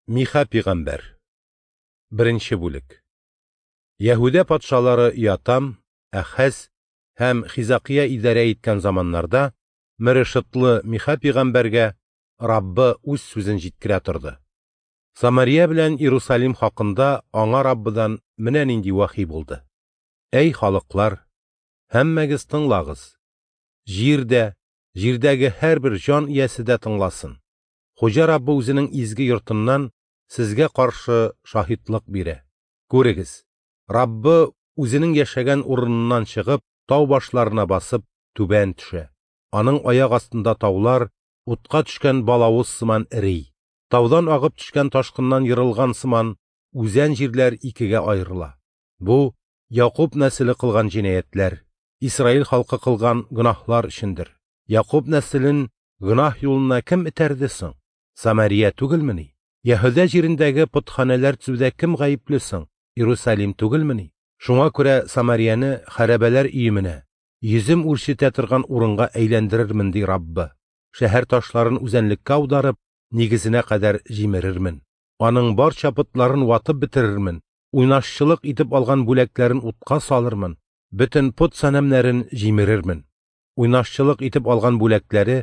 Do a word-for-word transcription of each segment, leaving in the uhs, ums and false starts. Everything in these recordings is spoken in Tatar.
Миха пигамбәр. Беренче бүлек. Яһүдә патшалары Ятам, Әхәз һәм Хизакия идарә иткән заманнарда Мерешетлы Миха пигамбәргә Раббы үз сүзен җиткерә торды. Самария белән Иерусалим хакында аңа Раббыдан менә нинди вахи булды. Әй халыклар, һәммәгез тыңлагыз. Җирдә, җирдәге һәрбер җан иясе дә тыңласын. Хуҗа Раббы үзенең изге йортыннан сезгә каршы шаһитлык бирә. Күрегез, Раббы үзенең яшәгән урыныннан чыгып, тау башларына басып, түбән төшә. Аның аяк астында таулар утка төшкән балавыз сыман эри. Таудан агып төшкән ташкыннан ерылган сыман үзән җирләр икегә аерыла. Бу Якуб нәселе кылган җинаятьләр, Исраил халкы кылган гөнаһлар өчендер. Якуб нәселен гөнаһ юлына кем этәрде соң? Самария түгелмени? Яһүдә җирендәге потханәләр төзүдә кем гаепле соң? Иерусалим түгелмени? Шуңа күрә Самарияне хәрабәләр өеменә, йөзем үрчетә торган урынга әйләндерермен, ди Раббы. Шәһәр ташларын үзәнлеккә аударып, нигезенә кадәр җимерермен. Аның барча потларын ватып бетерермен, уйнашчылык итеп алган бүләкләрен утка салырмын, бөтен пот санәмнәрен җимерермен. Уйнашчылык итеп алган бүләкләре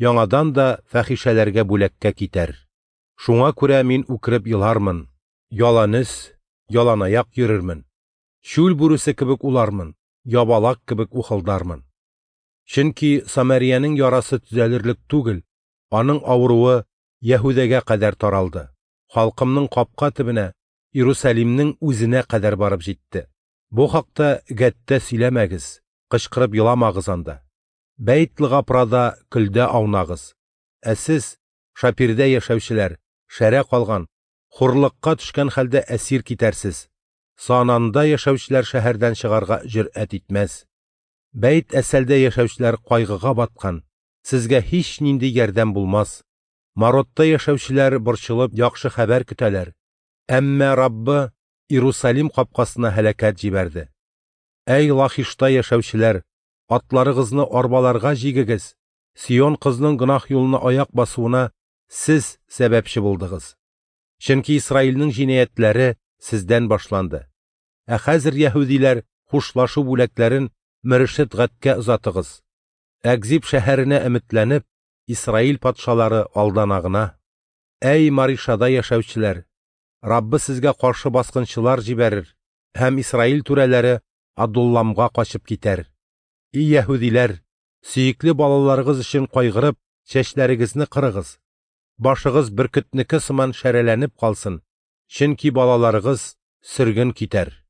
яңадан да фәхишәләргә бүләккә китәр. Шуңа күрә мин үкереп елармын, яланөс, яланаяк йөрермен. Чүл бүресе кебек улармын, ябалак кебек ухылдармын. Чөнки Самариянең ярасы төзәлерлек түгел, аның авыруы Яһүдәгә кадәр таралды. Халкымның капка төбенә, Иерусалимнең үзенә кадәр барып җитте. Бу хакта Гәттә сөйләмәгез, кычкырып еламагыз анда. Бәйт-Лгапрада көлдә аунагыз. Ә сез, Шапирдә яшәүчеләр, шәрә калган, хурлыкка төшкән хәлдә әсир китәрсез. Сананда яшәүчеләр шәһәрдән чыгарга җөрьәт итмәс. Бәйт Әсәлдә яшәүчеләр кайгыга баткан, сезгә һич нинди ярдәм булмас. Маротта яшәүчеләр борчылып яхшы хәбәр көтәләр. Әмма Раббы Иерусалим капкасына һәлакәт җибәрде. Әй Лахишта яшәүчеләр, атларыгызны арбаларга җигегез. Сион кызның гөнаһ юлына аяк басуына сез сәбәпче булдыгыз. Чөнки Исраилнең җинаятьләре сездән башланды. Ә хәзер яһүдиләр хушлашу бүләкләрен Мерешет Гаткә озатыгыз. Әкзиб шәһәренә өметләнеп, Исраил патшалары алдана гына. Әй Маришада яшәүчеләр, Раббы сезгә каршы баскынчылар җибәрер һәм Исраил түрәләре Адулламга качып китәр. И яһүдиләр, сөекле балаларыгыз өчен кайгырып, чәчләрегезне кырыгыз. Башыгыз бөркетнеке сыман шәрәләнеп калсын, чөнки балаларыгыз сөрген китәр.